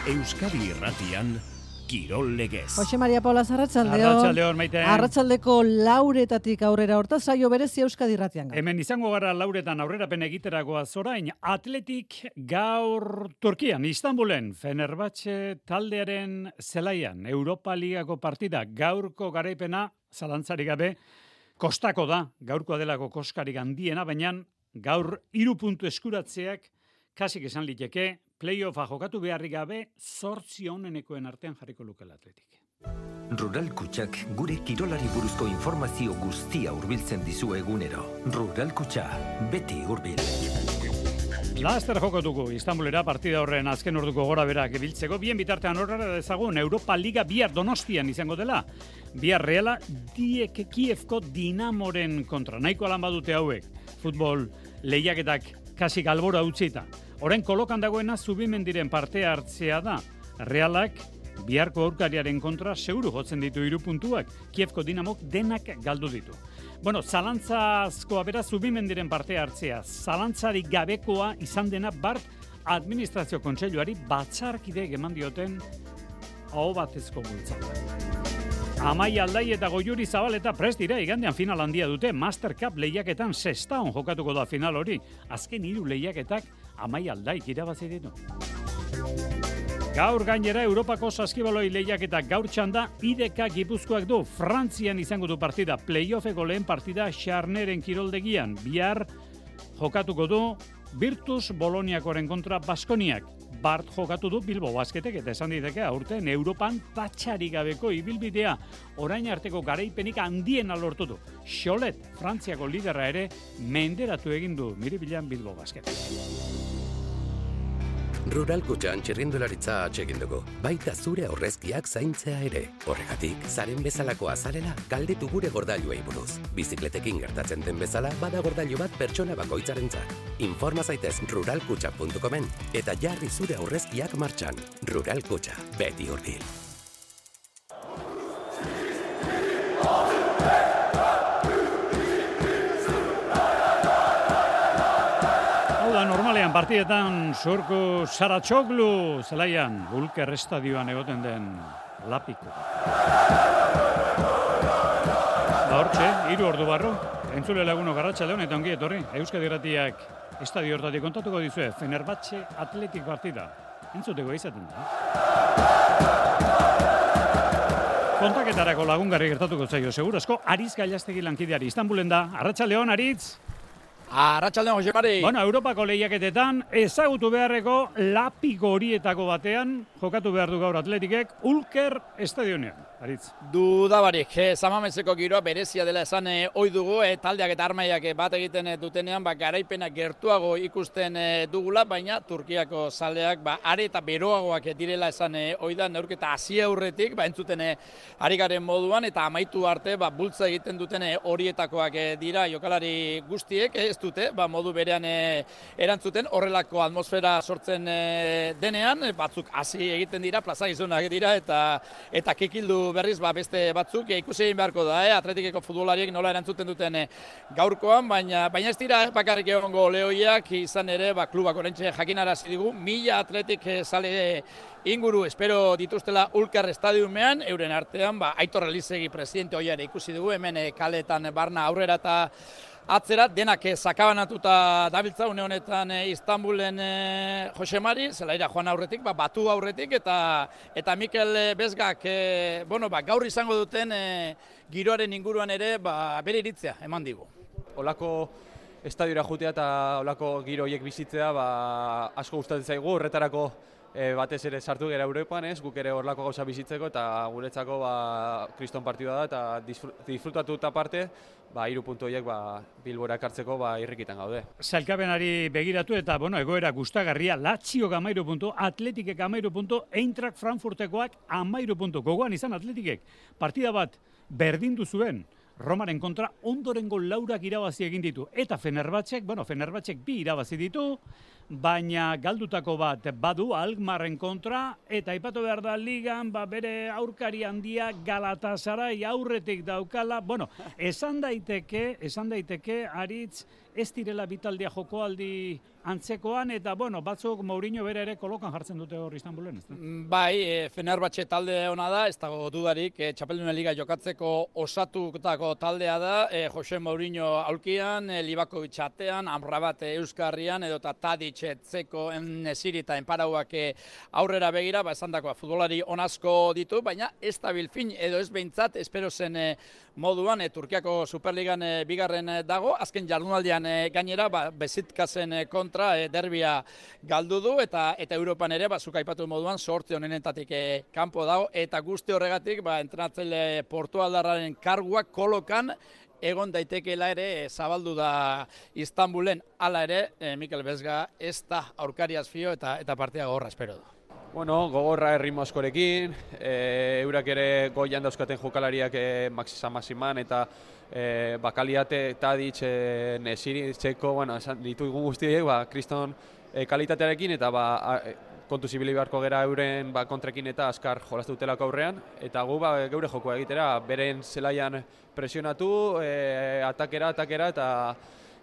Euskadi Irratian, Kirol Legez. Jose Maria Paula, arratsaldeon. Arratsaldeon, Maite. Arratsaldeko lauretatik aurrera hortaz saio berezi Euskadi Irratian. Hemen izango gara lauretan aurrerapen egiteragoa zorain. Atletik gaur Turkian, Istanbulen, Fenerbahce taldearen zelaian, Europa Ligako partida, gaurko garaipena, zalantzarik gabe, kostako da, gaurkoa delako koskarik handiena, baina gaur 3 puntu eskuratzeak, kasik esan liteke, playoffa jokatu beharrik gabe, 8 onenekoen artean jarriko lukela Atletik. Rural Kutxak gure kirolari buruzko informazio guztia hurbiltzen dizu egunero. Rural Kutxa, beti hurbil. Laster jokatuko Istanbulera partida horren azken orduko gora berak biltzeko. Bien bitartean horrela dezagun Europa Liga bihar Donostian izango dela. Bihar Reala Kievko Dinamoren kontra. Nahiko alan badute hauek. Futbol lehiaketak kasik albora utzita. Orain kolokan dagoena Zubimendiren parte hartzea da. Realak biharko aurkariaren kontra seguru jotzen ditu 3 puntuak. Kievko Dinamok denak galdu ditu. Bueno, zalantzazkoa bera Zubimendiren parte hartzea. Zalantzarik gabekoa izan dena Bart Administrazio Kontseiluari batzarkide eman dioten aho batezko bultzada. Amaia Aldai eta Goiuri Zabaleta prest dira igandean final handia dute. Master Cup lehiaketan Sestaon jokatuko da final hori. Azken 3 lehiaketak Amaia Aldai irabazi ditu. Gaur gainera Europako saskibaloi lehiaketak gaur txanda IDK Gipuzkoak du. Frantzian izango du partida. Playoffeko lehen partida Xarneren kiroldegian. Bihar jokatuko du Virtus Boloniakoren kontra Baskoniak. Bart jokatu du Bilbo Basketek eta esan diteke aurten Europan tatxarik gabeko ibilbidea orain arteko garaipenik handiena lortu du. Xolet, Frantziako liderra ere menderatu egin du Miribilan Bilbo Basketek. Rural Kutxan txirrindularitza atsegin dugu, baita zure aurrezkiak zaintzea ere. Horregatik, zaren bezalakoa zarela, galdetu gure gordailuei buruz. Bizikletekin gertatzen den bezala, bada gordailu bat pertsona bakoitzarentzat. Informa zaitez ruralkutxa.comen eta jarri zure aurrezkiak martxan. Rural Kutxa, beti hurbil. Normalean partidetan Surku Saratxoglu zelaian Ulker estadioan egoten den Lapiko. Hortxe, 3 ordu barru, entzule laguno arratsaldeon eta ongi etorri. Euskadi Irratiak estadio hortatik kontatuko dizue Fenerbahce Atletik partida. Entzuteko izaten da. Kontaketarako lagungarri gertatuko zaio segurazko Aritz Gailastegi lankideari Istanbulen da. Arratsaldeon Aritz. Arratsaldeon Jose Mari. Bueno, Europako lehiaketetan ezagutu beharreko Lapiko horietako batean jokatu behar du gaur Atletikek Ulker estadionean. Aritz. Dudabarik, Samameseko giroa berezia dela esan ohi dugu, taldeak eta armaiak bat egiten dutenean, garaipena gertuago ikusten dugula, baina Turkiako zaleak are eta beroagoak direla esan ohi da, neurketa hasi aurretik, entzuten ari garen moduan, eta amaitu arte bultza egiten duten horietakoak dira jokalari guztiek, ez dute, modu berean erantzuten, horrelako atmosfera sortzen denean, batzuk hasi egiten dira, plaza gizonak dira, eta kikildu berriz beste batzuk ikusi egin beharko da, Atletikeko futbolariek nola erantzuten duten gaurkoan, baina ez dira bakarrik egongo lehoiak, izan ere klubak oraintxe jakinarazi digu 1000 Atletik zale inguru espero dituztela Ulker estadiumean, euren artean Aitor Elizegi presidente ohiare ikusi dugu, hemen kaletan barna aurrera eta atzera, denak sakabanatuta dabiltza une honetan Istanbulen Jose Mari, zelaira joan aurretik, batu aurretik, eta Mikel Bezgak, gaur izango duten giroaren inguruan ere bere iritzea eman digu. Olako estadiora jutea eta olako giro horiek bizitzea asko gustatzen zaigu, horretarako batez ere sartu gara Europan, guk ere horlako gauza bizitzeko eta guretzako kriston partidua da eta disfrutatu eta parte 3 puntu horiek Bilbora ekartzeko irrikitan gaude. Sailkapenari begiratu eta egoera gustagarria, Lazio 13 puntu, Atletikek 13 puntu, Eintracht Frankfurtekoak 13 puntu. Gogoan izan Atletikek partida bat berdindu zuen Romaren kontra ondorengo 4 irabazi egin ditu. Eta Fenerbahcek 2 irabazi ditu, baina galdutako bat badu Alkmaarren kontra, eta aipatu behar da ligan, bere aurkari handia Galatasaray aurretik daukala. Esan daiteke Aritz, ez direla bitaldia jokoaldi antzekoan, eta batzuk Mourinho bera ere kolokan jartzen dute hor Istanbulen, ez da? Bai, Fenerbahce talde ona da, ez dago dudarik, Txapeldunen Liga jokatzeko osatutako taldea da, Jose Mourinho aulkian, Livakovic atean, Amrabat Euskarrian, edota Tadic Zeko, Nesiri eta Enparauak aurrera begira, esandakoa futbolari onazko ditu, baina ez da bilfin, edo ez behintzat, espero zen moduan, Turkiako Superligan bigarren dago, azken jardunaldian gainera, Bezitkasen kontra derbia galdu du, eta Europan ere, zuk aipatu moduan, sorte honenetatik kanpo dago, eta guzti horregatik, entrenatzaile Portugaldarraren karguak kolokan egon daitekeela ere zabaldu da Istanbulen, hala ere, Mikel Bezga ez da aurkariaz fio eta partia gogorra espero du. Bueno, gogorra erritmo askorekin, eurak ere goian dauzkaten jokalariak Maximan eta Bakaliate, Tadic, Nesiri, Zeko, ditugu guztiek, kriston kalitatearekin eta kontu zibili beharko gera euren kontrekin eta azkar jolaztu dutelako aurrean, eta gu geure jokoa egitera, beren zelaian presionatu, atakera, eta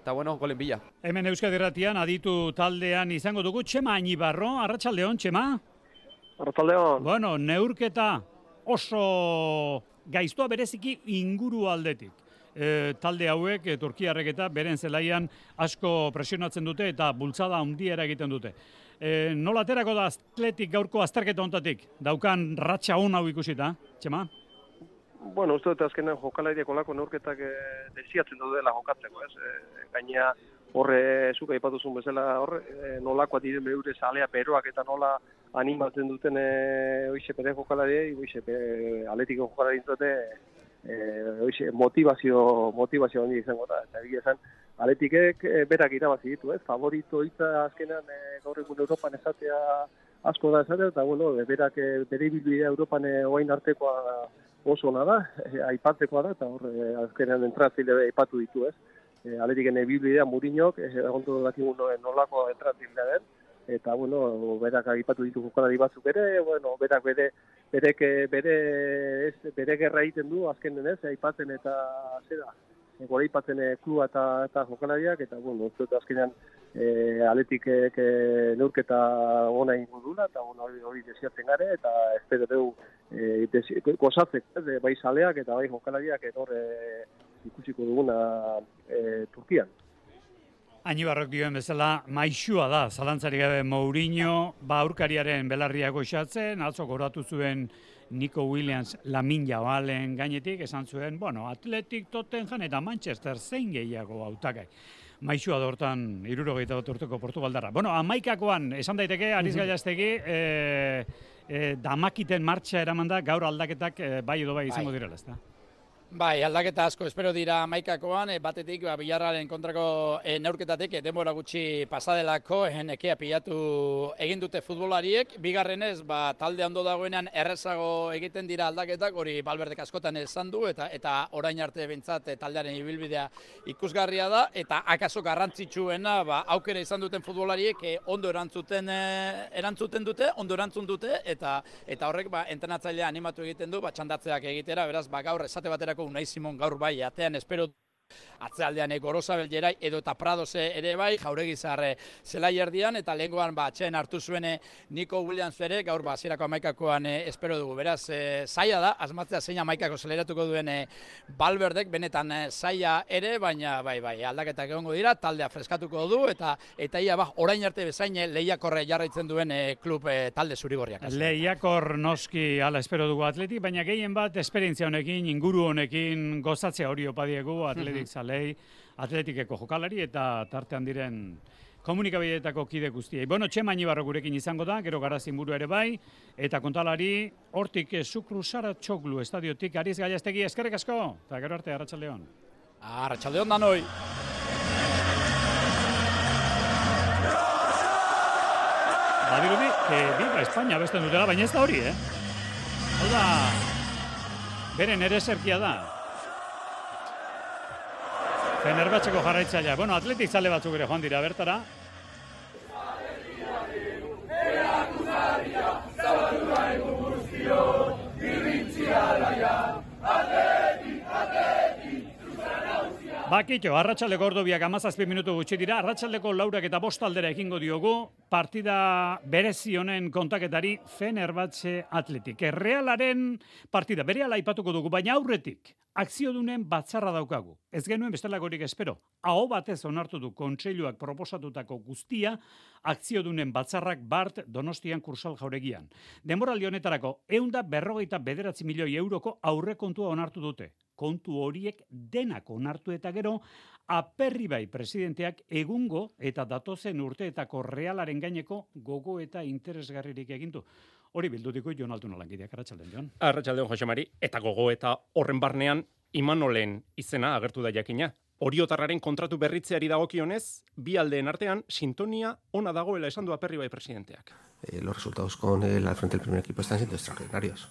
golen bila. Hemen Euskadi Irratian aditu taldean izango dugu Txema Añibarro, arratsaldeon, Txema? Arratsaldeon. Neurketa oso gaiztoa bereziki inguru aldetik. Talde hauek, turkiarrek eta beren zelaian asko presionatzen dute eta bultzada handiera egiten dute. Nola aterako da Atletik gaurko azterketa hontatik? Daukan ratxa hon hau ikusita, Txema? Bueno, uste dut azkenean jokalariak olako neurketak desiatzen dela jokatzeko, ez? Gaina horre, zuk aipatuzun bezala, nolakoa diren beure zalea beroak eta nola animatzen duten oixe bere jokalariei, Atletiko jokalari motivazio handi izango da, eta egia esan, Atletikek berak irabazi ditu, ez? Favorito hitza azkenan gaur egun Europan esatea asko da esatea, eta berak bere ibilbidea Europan orain artekoa oso ona da, aipatzekoa da, eta azkenan entratzaile aipatu ditu, ez? Atletiken ibilbidea Mourinhok, egontu dakigun nolako entratzailea den, eta berak aipatu ditu jokalari batzuk ere, berak bere gerra egiten du azkenen, ez? Aipatzen eta zera, gora aipatzen klua eta jokalariak, eta azkenean Atletikek neurketa ona ingo dula, eta hori desiatzen gare, eta espero dugu gozatzek, bai zaleak eta bai jokalariak ikusiko duguna Turkian. Añibarrok dioen bezala, maixua da, zalantzarik gabe Mourinho, aurkariaren belarria goxatzen, atzo goratu zuen Nico Williams Lamin Jabalen gainetik, esan zuen, Atletik, Tottenham eta Manchester zein gehiago hautagai. Maixua da hortan 71 urteko Portugaldarra. Hamaikakoan, esan daiteke, Aritz Gallastegi, damakiten martxa eraman da, gaur aldaketak bai edo bai izango direla, ezta? Bai, aldaketa asko espero dira hamaikakoan, batetik Villarrealen kontrako neurketatik denbora gutxi pasadelako nekea pilatu egin dute futbolariek, bigarrenez talde ondo dagoenean errezago egiten dira aldaketak, hori Valverdek askotan esan du eta orain arte behintzat taldearen ibilbidea ikusgarria da, eta akaso garrantzitsuena aukera izan duten futbolariek ondo erantzuten dute, ondo erantzun dute, eta horrek entrenatzailea animatu egiten du txandatzeak egitera, beraz gaur esate baterako Unai Simon gaur bai, atean espero atzealdean Gorosabel Jerai edo eta Pradose ere bai, Jauregizar zelai erdian, eta lehengoan atxeen hartu zuen Nico Williams ere, gaur hasierako hamaikakoan espero dugu. Beraz, zaila da, asmatzea zein hamaikako zeleratuko duen Valverdek, benetan zaila ere, baina bai, aldaketak egongo dira, taldea freskatuko du, eta ia orain arte bezain lehiakorre jarraitzen duen klub talde zurigorriak. Lehiakor noski ala espero dugu Atletik, baina gehien bat esperientzia honekin, inguru honekin gozatzea hori opadiegu Atletik zalei, Atletikeko jokalari eta tartean diren komunikabideetako kide guztiei. Txema Añibarro gurekin izango da, gero Garazin buru ere bai, eta kontalari hortik Zukru Saratxoglu estadiotik Aritz Gallastegi, eskerrik asko, eta gero arte, arratsaldeon. Arratsaldeon danoi. Badirudi, Viva España besten dutela, baina ez da hori, Hau da, beren ere zerkia da. Fenerbahceko jarraitzailea. Atletik zale batzuk ere joan dira bertara. Bakitxo, arratsaldeko ordu 17 minutu gutxi dira, arratsaldeko 4 eta 5 aldera ekingo diogu, partida berezi honen kontaketari Fenerbahce Athletic. Realaren partida, berehala aipatuko dugu, baina aurretik, akziodunen batzarra daukagu. Ez genuen bestelakorik espero. Aho batez onartu du kontseiluak proposatutako guztia, akziodunen batzarrak Bart Donostian Kursal Jauregian. Denboraldi honetarako 159 milioi euroko aurrekontua onartu dute. Kontu horiek denak onartu eta gero, Aperribai presidenteak egungo eta datozen urteetako Realaren gaineko gogo eta interesgarririk egindu. Hori bildutiko Jon Altuna langideak, arratsaldeon Jon. Arratsaldeon Jose Mari, eta gogo eta horren barnean Imanolen izena agertu da jakina. Oriotarraren kontratu berritzeari dagokionez, bi aldeen artean sintonia ona dagoela esan du Aperribai presidenteak. Los resultados con él al frente del primer equipo están siendo extraordinarios.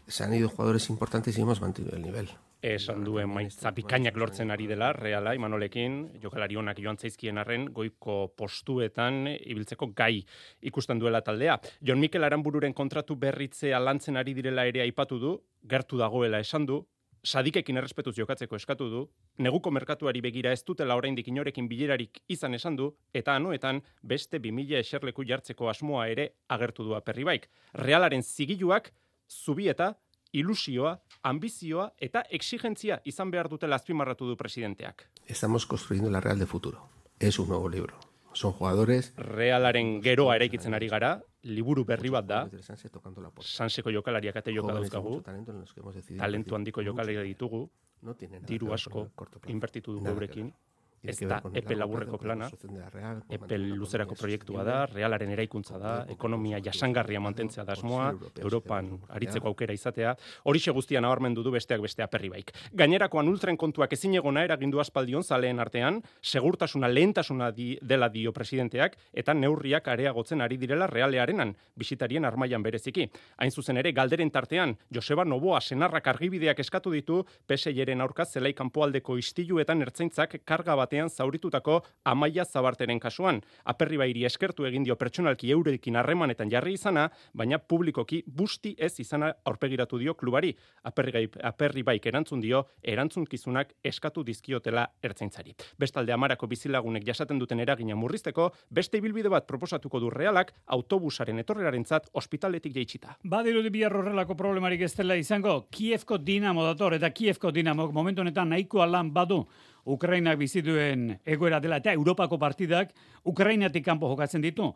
Se han ido jugadores importantes y hemos mantenido el nivel. Esan duen maitza bikainak lortzen ari dela, Reala, Imanolekin, jokalari onak joan zaizkien arren, goiko postuetan ibiltzeko gai ikusten duela taldea. Jon Mikel Aranbururen kontratu berritzea lantzen ari direla ere aipatu du, gertu dagoela esan du, Sadikekin errespetuz jokatzeko eskatu du, neguko merkatuari begira ez dutela oraindik inorekin bilerarik izan esan du, eta anoetan beste 2000 eserleku jartzeko asmoa ere agertu du Aperribaik. Realaren zigiluak, zubieta, ilusioa, ambizioa eta exigentzia izan behar dutela azpimarratu du presidenteak. Estamos construyendo la Real de futuro. Es un nuevo libro. Son jugadores... Realaren geroa eraikitzen ari gara, liburu berri bat da, Sanseko jokalariak ate joka dauzkagu, talentu handiko jokalariak ditugu, diru asko inbertitu dugu eurekin, ez da epe laburreko plana, epe luzerako proiektua da, Realaren eraikuntza da, ekonomia jasangarria mantentzea da asmoa, Europan aritzeko aukera izatea, horixe guztia nabarmendu du besteak beste Aperribaik. Gainerakoan ultren kontuak ezinegona eragindu aspaldion zaleen artean, segurtasuna lehentasuna dela dio presidenteak, eta neurriak areagotzen ari direla Realearenan, bisitarien armailan bereziki. Hain zuzen ere, galderen tartean, Joseba Noboa senarrak argibideak eskatu ditu, PSIren aurka zelai kanpoaldeko istiluetan ertzaintzak karga batean zauritutako Amaia Zabarteren kasuan. Aperribairi eskertu egin dio pertsonalki eurekin harremanetan jarri izana, baina publikoki busti ez izana aurpegiratu dio klubari. Aperribaik erantzun dio, erantzunkizunak eskatu dizkiotela ertzaintzari. Bestalde Amarako bizilagunek jasaten duten eragina murrizteko, beste ibilbide bat proposatuko du Realak autobusaren etorrerarentzat ospitaletik jaitsita. Badirudi bihar horrelako problemarik ez dela izango, Kievko Dinamo dator, eta Kievko Dinamo momentu honetan nahikoa lan badu Ukrainak bizituen egoera dela eta Europako partidak Ukrainatik kanpo jokatzen ditu.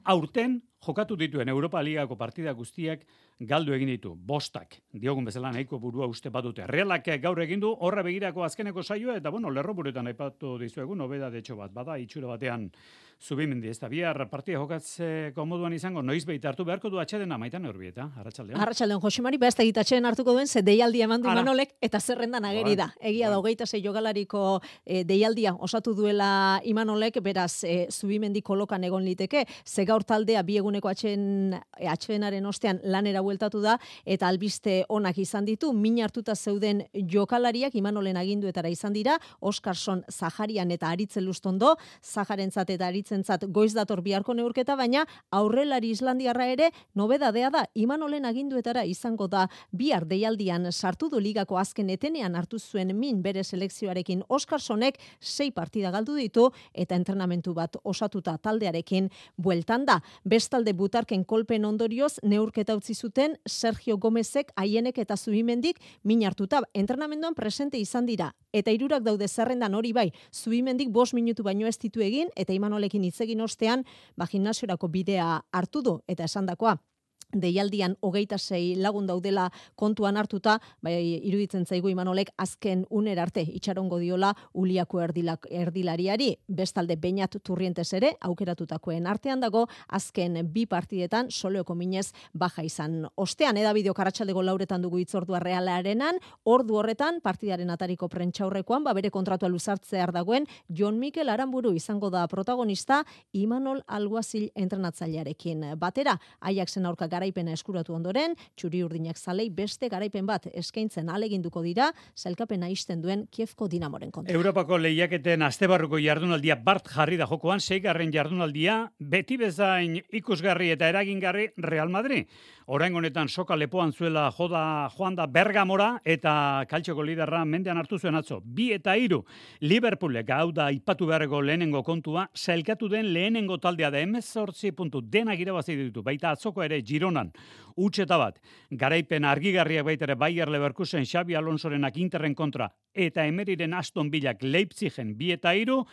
Aurten jokatu dituen Europa Ligako partida guztiak galdu egin ditu. Bostak, diogun bezala nahiko burua uste badute. Realak gaur egin du horra begirako azkeneko saioa eta lerroburuetan aipatu dizuegu nobedadetxo bat bada itxura batean Zubimendi, ez da bihar partida jokatzeko moduan izango, noizbait hartu beharko du atxedena Maitan Urbieta, arratsaldean. Arratsaldean Jose Mari, beste atxeden hartuko duen, ze deialdia eman du Imanolek eta zerrendan ageri da. Egia da 26 jogalariko deialdia osatu duela Imanolek, beraz Zubimendi kolokan egon liteke, ze gaur taldea bi eguneko atxedenaren ostean lanera bueltatu da eta albiste onak izan ditu, min hartuta zeuden jokalariak Imanolen aginduetara izan dira, Oskarson Zaharian eta Aritze Lustondo, Zaharentzat eta Aritzentzat goiz dator biharko neurketa, baina aurrelari Islandiarra ere nobedadea da, Imanolen aginduetara izango da bihar deialdian sartu du ligako azken etenean hartu zuen min bere selekzioarekin. Oskarsonek 6 partida galdu ditu eta entrenamentu bat osatuta taldearekin bueltan da. Bestalde butarken kolpen ondorioz neurketa utzi zuten Sergio Gomezek, Aienek eta Zubimendik min hartuta entrenamenduan presente izan dira. Eta 3 daude zerrendan hori bai, Zubimendik 5 minutu baino ez ditu egin eta Imanolekin hitz egin ostean, gimnasiorako bidea hartu du eta esandakoa. Deialdian 26 lagun daudela kontuan hartuta, bai iruditzen zaigu Imanolek azken unera arte itxarongo diola Uliako erdilariari. Bestalde Beñat Turrientes ere aukeratutakoen artean dago, azken 2 partidetan Soleoko minez baja izan. Ostean edabideo Arratsaldeko 4 dugu hitzordua Realarenan, ordu horretan partidaren atariko prentsaurrekoan bere kontratua luzartzear dagoen Jon Mikel Aranburu izango da protagonista Imanol Alguazil entrenatzailearekin batera. Ajaxen aurka garaipena eskuratu ondoren, txuri-urdinak zalei beste garaipen bat eskaintzen aleginduko dira, sailkapena ixten duen Kievko Dinamoren kontra. Europako lehiaketen astebarruko jardunaldia bart jarri da jokoan, 6. jardunaldia, beti bezain ikusgarri eta eragingarri Real Madrid. Oraingo honetan soka lepoan zuela joan da Bergamora eta kaltxoko liderra mendean hartu zuen atzo. 2 eta 3 Liverpoolek hau da aipatu beharreko lehenengo kontua, sailkatu den lehenengo taldea da 18 puntu denak irabazi ditu. Baita atzoko ere Gironan utxeta bat. Garaipen argigarriak baita ere Bayer Leverkusen Xabi Alonsorenak Interren kontra eta Emeriren Aston Villak Leipzigen 2 eta 3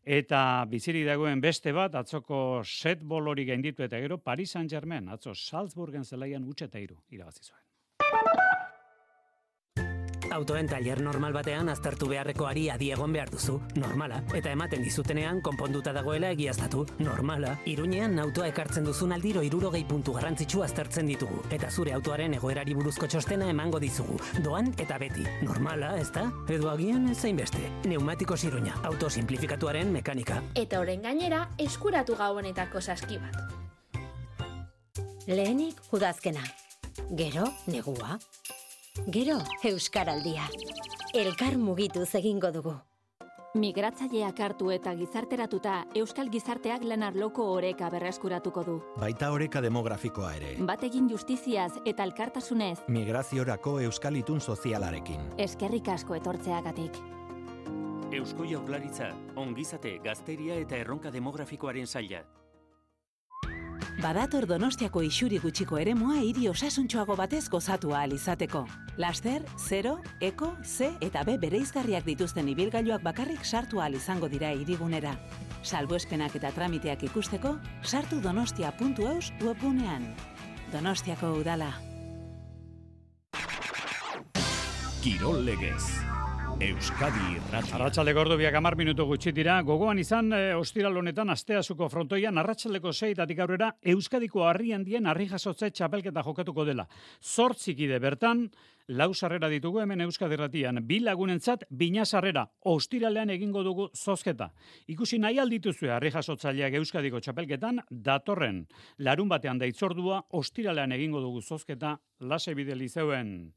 eta biziri dagoen beste bat, atzoko set bolori gainditu eta gero Paris Saint-Germain, atzo Salzburgen zelaian utxeta 3 irabazi zuen. Autoen tailer normal batean aztertu beharreko ari adi egon behar duzu, normala, eta ematen dizutenean konponduta dagoela egiaztatu, normala. Iruñean autoa ekartzen duzun aldiro 60 puntu garrantzitsu aztertzen ditugu, eta zure autoaren egoerari buruzko txostena emango dizugu, doan eta beti, normala, ezta? Edo agian ezain beste, Neumatikos Iruña, auto simplifikatuaren mekanika. Eta orain gainera, eskuratu gabonetako saski bat. Lehenik udazkena, gero negua. Gero, Euskaraldia. Elkar mugituz egingo dugu. Migratzaileak hartu eta gizarteratuta, Euskal Gizarteak lan arloko oreka berreskuratuko du. Baita oreka demografikoa ere. Batekin justiziaz eta elkartasunez. Migraziorako Euskal Itun sozialarekin. Eskerrik asko etortzeagatik. Eusko Jaurlaritza, ongizate, gazteria eta erronka demografikoaren saila. Badator Donostiako isuri gutxiko eremua hiri osasuntxoago batez gozatu ahal izateko. Laster, 0, Eko, C eta B bereizgarriak dituzten ibilgailuak bakarrik sartu ahal izango dira hirigunera. Salbuespenak eta tramiteak ikusteko, sartu donostia.eus webgunean. Donostiako udala. Kirol legez. Euskadi Irratia. Arratsaldeko ordu 10 minutu gutxi dira. Gogoan izan ostiral honetan asteasuko frontoian arratsaldeko 6 aurrera Euskadiko harri handien harri jasotze txapelketa jokatuko dela. 8 kide bertan, 4 sarrera ditugu hemen Euskadi Irratian. 2 lagunentzat bina sarrera. Ostiralean egingo dugu zozketa. Ikusi nahi aldituzue harri jasotzaileak Euskadiko txapelketan datorren larun batean da itzordua, ostiralean egingo dugu zozketa Lase Bide Lizeuen.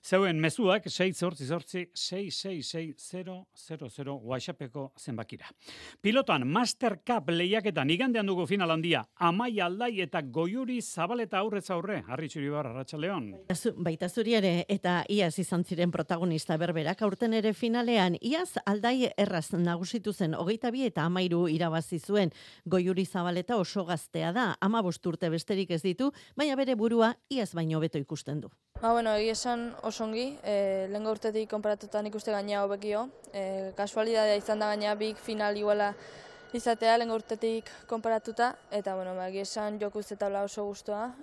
Zeuen mezuak 688-666-000 WhatsAppeko zenbakira. Pilotan Master Cup lehiaketan igandean dugu final handia. Amaia Aldai eta Goiuri Zabaleta aurrez aurre. Harri Txuribar, Arratsaldeon. Baita zuri ere eta iaz izan ziren protagonista berberak aurten ere finalean. Iaz Aldai erraz nagusitu zen 22 eta 13 irabazi zuen. Goiuri Zabaleta oso gaztea da. 15 urte besterik ez ditu, baina bere burua iaz baino hobeto ikusten du. Egia esan osongi, lehengo urtetik konparatutan ikuste gaina hobekio. Kasualidadea izan da gaina big final iguala izatea lehengo urtetik konparatuta. Eta, egia esan joku uste tabla oso guztua,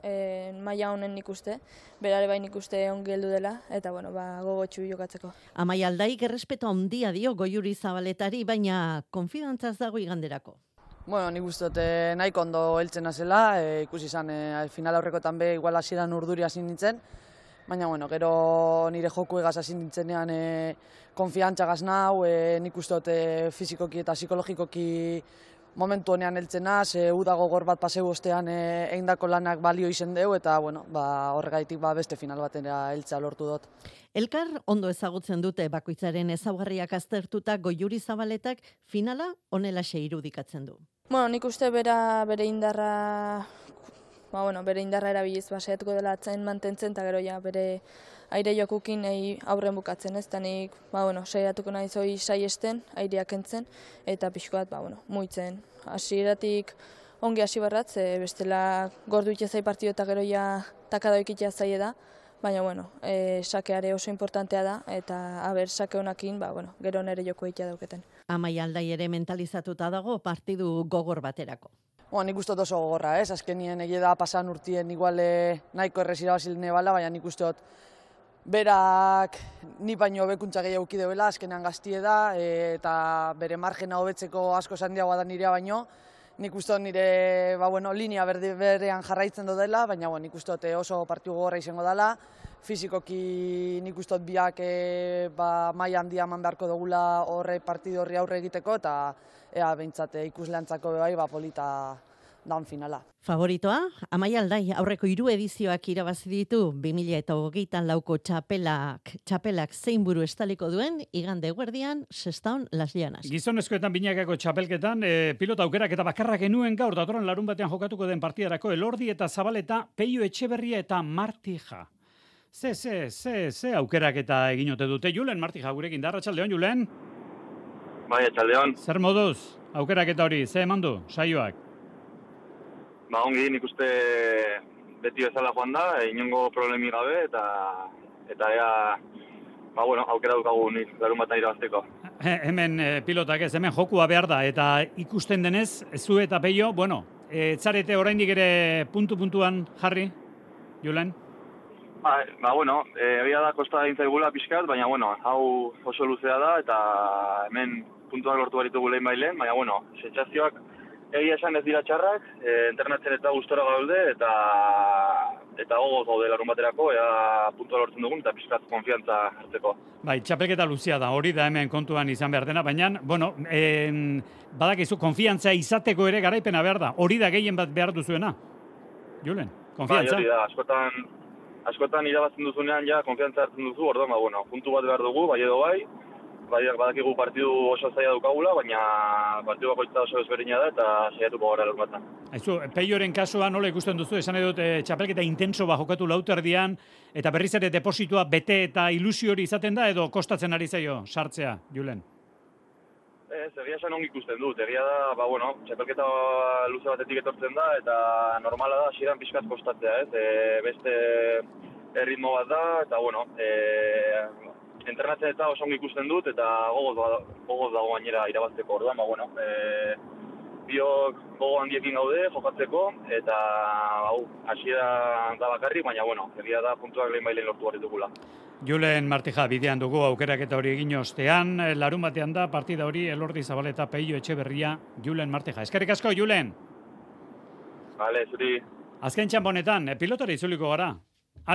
maila honen ikuste, berare bain ikuste ongi heldu dela, eta gogotxu jokatzeko. Amaia Aldaik errespeto handia dio Goiuri Zabaletari, baina konfidantzaz dago iganderako. Nik uste dut nahiko ondo heltzen azela, ikusi izan final aurrekotan be igual hasieran urduri hasi nintzen, baina gero nire joku egaz hasi nintzenean konfiantza gaz nau, nik uste dut fizikoki eta psikologikoki momentu honean heltzen naz, uda gogor bat paseu ostean egindako lanak balio izen deu, eta horregaitik beste final batera heltzea lortu dut. Elkar ondo ezagutzen dute bakoitzaren ezaugarriak aztertuta Goiuri Zabaletak finala honelaxe irudikatzen du. Nik uste bere indarra erabiliz saiatuko dela atzain mantentzen, eta gero bere aire jokukin aurren bukatzen, ez? Nik saiatuko nahi zoi saiesten, aireak kentzen, eta pixko bat muitzen. Hasieratik ongi hasi barratz, bestela gordu itxezai partidu eta gero takada ikitea zaie da, baina sakeare oso importantea da, eta sake honakin, gero nere joku egitea dauketen. Amaia Aldai ere mentalizatuta dago partidu gogor baterako. Nik uste dut oso gogorra, azkenien egia da pasan urtien igual nahiko errez irabazil nebala, baina nik uste dut berak ni baino hobekuntza gehiago deuela, azkenean gaztie da, eta bere margena hobetzeko asko handiagoa da nirea baino. Nik uste dut nire linea berean jarraitzen dela, baina nik uste dut oso partidu gogorra izango dela. Fizikoki nik uste dut biak maila handia eman beharko dugula partidu horri aurre egiteko, eta behintzat ikusleantzako polita dan finala. Favoritoa, Amaia Aldai, aurreko 3 edizioak irabazi ditu 2024ko txapelak zein buru estaliko duen igande eguerdian Sestaon Las Llanas. Gizonezkoetan binakako txapelketan pilota aukerak eta bakarrak genuen gaur datorren larun batean jokatuko den partidarako Elordi eta Zabaleta, Peio Etxeberria eta Martija. Ze aukerak eta eginote dute Julen Martija gurekin da, arratsaldeon Julen. Bai, arratsaldeon. Zer moduz aukerak eta hori, ze eman du saioak? Ongi, nik uste beti bezala joan da, inongo problemi gabe, eta ea, aukera dukagu nik larun batan irabazteko. Hemen pilotak ez, hemen jokua behar da, eta ikusten denez, zu eta Peio, etzarete oraindik ere puntuan jarri, Julen? Egia da kosta egin zaigula pixkat, baina, hau oso luzea da, eta hemen puntuak lortu baritugu lehen bailen, baina, sentsazioak egia esan ez dira txarrak, internatzen eta gustora gaude, eta gogoz gaude larun baterako, ea puntua lortzen dugun, eta pixkat konfiantza hartzeko. Bai, txapelketa luzea da, hori da hemen kontuan izan behar dena, baina, badakizu, konfiantza izateko ere garaipena behar da, hori da gehien bat behar duzuena. Julen, konfiantza? Bai, hori da, askotan irabazten duzunean ja konfiantza hartzen duzu, orduan, puntu bat behar dugu, bai edo bai, badakigu partidu oso zaila dukagula, baina partidu bakoitza oso ezberdina da eta saiatuko gara lortzen. Aizu, Peioren kasua nola ikusten duzu, esan edut txapelketa intenso jokatu lauterdian, eta berriz ere depositua bete eta ilusio hori izaten da, edo kostatzen ari zaio sartzea, Julen? Egia esan ongi ikusten dut, egia da, txapelketa luze batetik etortzen da, eta normala da, hasieran pixkat kostatzea, beste erritmo bat da, eta, entrenatzen eta oso ongi ikusten dut, eta gogoz dago gainera irabazteko orduan, biok gogo handiekin gaude jokatzeko, eta hasiera da bakarrik, baina egia da puntuak lehen bailen lortu barritugula. Julen Martija, bidean dugu aukerak eta hori egin ostean, larun batean da partida hori Elordi Zabaleta, Peio Etxeberria, Julen Martija. Eskerrik asko, Julen! Bale, zuri. Azken txamponetan, pilotari itzuliko gara.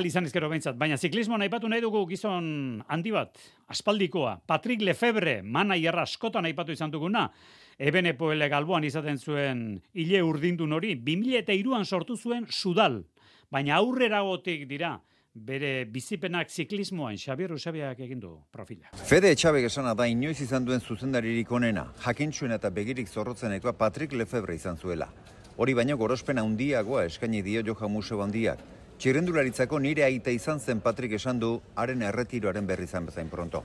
Izan ezkero behintzat, baina ziklismoan aipatu nahi dugu gizon handi bat, aspaldikoa, Patrick Lefebvre, manaierra askotan aipatu izan duguna, Ebenepoele Galboan izaten zuen hile urdindun hori, 2003an sortu zuen Sudal, baina aurreragotik dira, bere bizipenak ziklismoan Xabier Usabiak egin du profila. Fede Etxabek esana da inoiz izan duen zuzendaririk onena, jakintxuen eta begirik zorrotzenekoa Patrick Lefebvre izan zuela. Hori baino gorospen handiagoa eskaini dio Johan Museo handiak. Txirrendularitzako nire aita izan zen Patrick esan du, haren erretiroaren berri izan bezain pronto.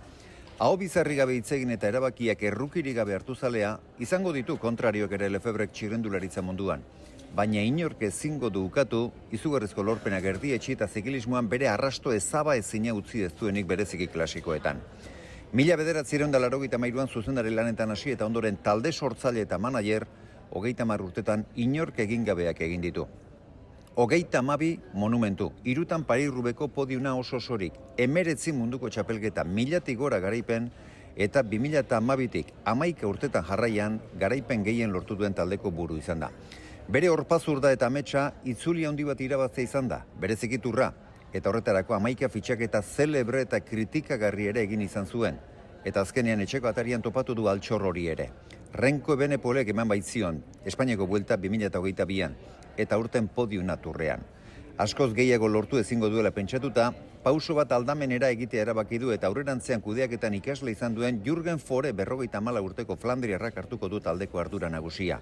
Aho bizarri gabe hitzegin eta erabakiak errukirik gabe hartu zalea, izango ditu kontrarioak ere Lefebrek txirrendularitza munduan. Baina inork ezingo du ukatu, izugarrizko lorpenak erdietxi eta zikilismoan bere arrasto ezaba ezina utzi ez duenik bereziki klasikoetan. 1983an zuzendari lanetan hasi eta ondoren talde sortzaile eta manager, 30 urtetan inork egin gabeak egin ditu. 32 monumentu, 3 Paris-Roubaixko podiuna oso osorik, 19 munduko txapelketa, 1000tik gora garaipen, eta 2012tik 11 urtetan jarraian garaipen gehien lortu duen taldeko buru izan da. Bere horpazurda eta ametsa itzuli handi bat irabaztea izan da, bere zikiturra, eta horretarako 11 fitxaketa zelebre eta kritikagarri ere egin izan zuen, eta azkenean etxeko atarian topatu du altxor hori ere. Renko Ebenepolek eman baitzion, Espainiako buelta 2022an, eta urten podiuna turrean. Askoz gehiago lortu ezingo duela pentsatuta, pauso bat aldamenera egitea erabaki du eta aurrerantzean kudeaketan ikasle izan duen Jürgen Fore 54 urteko Flandriarrak hartuko du taldeko ardura nagusia.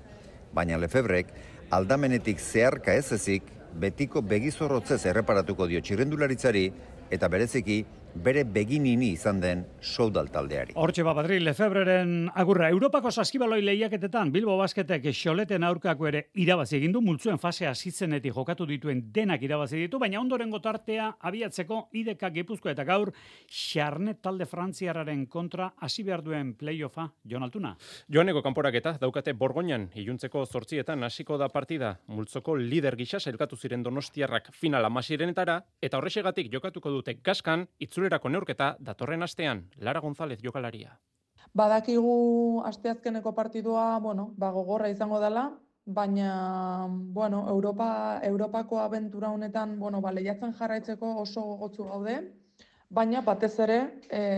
Baina Lefebrek aldamenetik zeharka ez ezik, betiko begizorrotzez erreparatuko dio txirrendularitzari eta bereziki bere beginini izan den Soudal taldeari. Hortxe Patrick Lefebreren agurra. Europako saskibaloi lehiaketetan Bilbo Basketek Xoleten aurkako ere irabazi egin du, multzuen fase hasitzenetik jokatu dituen denak irabazi ditu, baina ondorengo tartea abiatzeko IDK Gipuzkoa eta gaur Xarnet talde frantziarraren kontra hasi behar duen playoffa. Jon Altuna. Joaneko kanporaketa daukate Borgoinan iluntzeko 8etan hasiko da partida. Multzoko lider gisa sailkatu ziren Donostiarrak final amasirenetara eta horrexegatik jokatuko dute Gaskan itzulerako neurketa datorren astean. Lara González jokalaria. Badakigu asteazkeneko partidua, gogorra izango dela, baina, Europako abentura honetan, lehiatzen jarraitzeko oso gogotsu gaude, baina batez ere,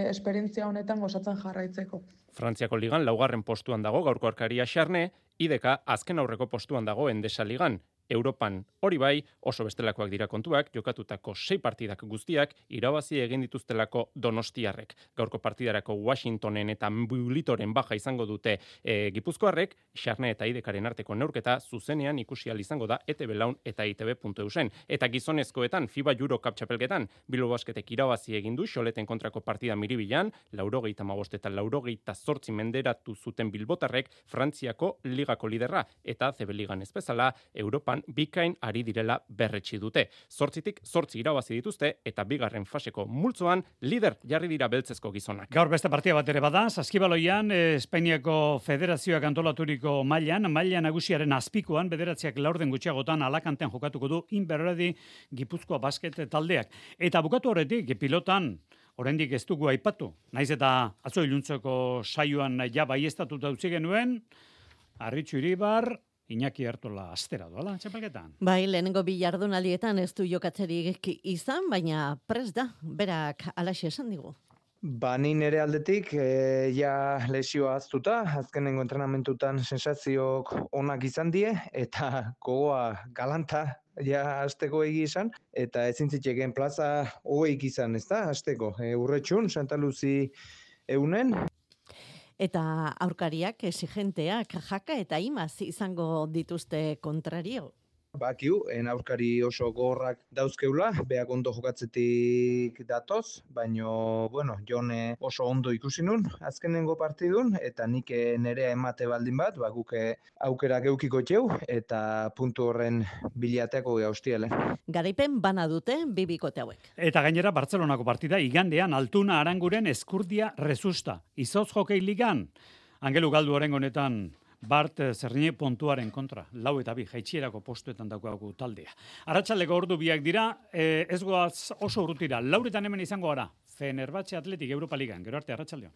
esperientzia honetan gozatzen jarraitzeko. Frantziako ligan laugarren postuan dago gaurko arkaria Xarne, IDK azken aurreko postuan dago Endesa Ligan. Europan hori bai, oso bestelakoak dira kontuak, jokatutako 6 partidak guztiak irabazi egin dituztelako donostiarrek. Gaurko partidarako Washingtonen eta Bulitoren baja izango dute gipuzkoarrek, Xarne eta IDKaren arteko neurketa zuzenean ikusi ahal izango da ETB Laun eta ITB.eusen. Eta gizonezkoetan, FIBA Eurocup txapelketan, Bilbo Basketek irabazi egin du Xoleten kontrako partida Miribilan, 85 eta 88 menderatu zuten bilbotarrek Frantziako ligako liderra, eta ACB Ligan ez bezala, Europan bikain ari direla berretsi dute. 8 irabazi dituzte eta bigarren faseko multzoan lider jarri dira beltzezko gizonak. Gaur beste partida bat ere bada, Saskibaloian Espainiako Federazioak antolaturiko maila nagusiaren azpikoan bederatziak laurden gutxiagotan Alakantean jokatuko du Inberredi Gipuzkoa basket taldeak. Eta bukatu horretik pilotan oraindik ez dugu aipatu. Naiz eta atzo iluntzeko saioan ja baieztatuta utzi genuen, Arritxu Iribar, Iñaki Artola astera doala, txapelketan. Bai, lehenengo bi jardunaldietan ez du jokatzerik izan, baina prest da, berak alaxe esan digu. Ba, ni nire aldetik, ja lesioa aztuta, azkenengo entrenamentutan sensazioak onak izan die, eta gogoa galanta, ja azteko egi izan, eta ezin zitzeken plaza hogeik izan, ez da, azteko. Urretxun, Santa Luzi eunen. Eta aurkariak, exigenteak, jaka eta imaz izango dituzte kontrario. Bakiu, aurkari oso gorrak dauzkeula, beak ondo jokatzetik datoz, baino, bueno, Jone oso ondo ikusi nun, azkenengo partidun, eta nik nerea emate baldin bat, guke aukera geukiko txeu, eta puntu horren bilateako gaustiele. Garaipen bana dute, bibikote hauek. Eta gainera, Bartzelonako partida, igandean, Altuna Aranguren Eskurdia Rezusta. Izoz Hokei Ligan, Angelu Galdu orengo honetan, Bart Zerrine puntuaren kontra, 4-2 jaitsierako postuetan daukagu taldea. Arratsaldeko ordu biak dira, ez goaz oso urrutira, 4 hemen izango gara, Fenerbahce Athletic Europa Ligan, gero arte arratsaldeon.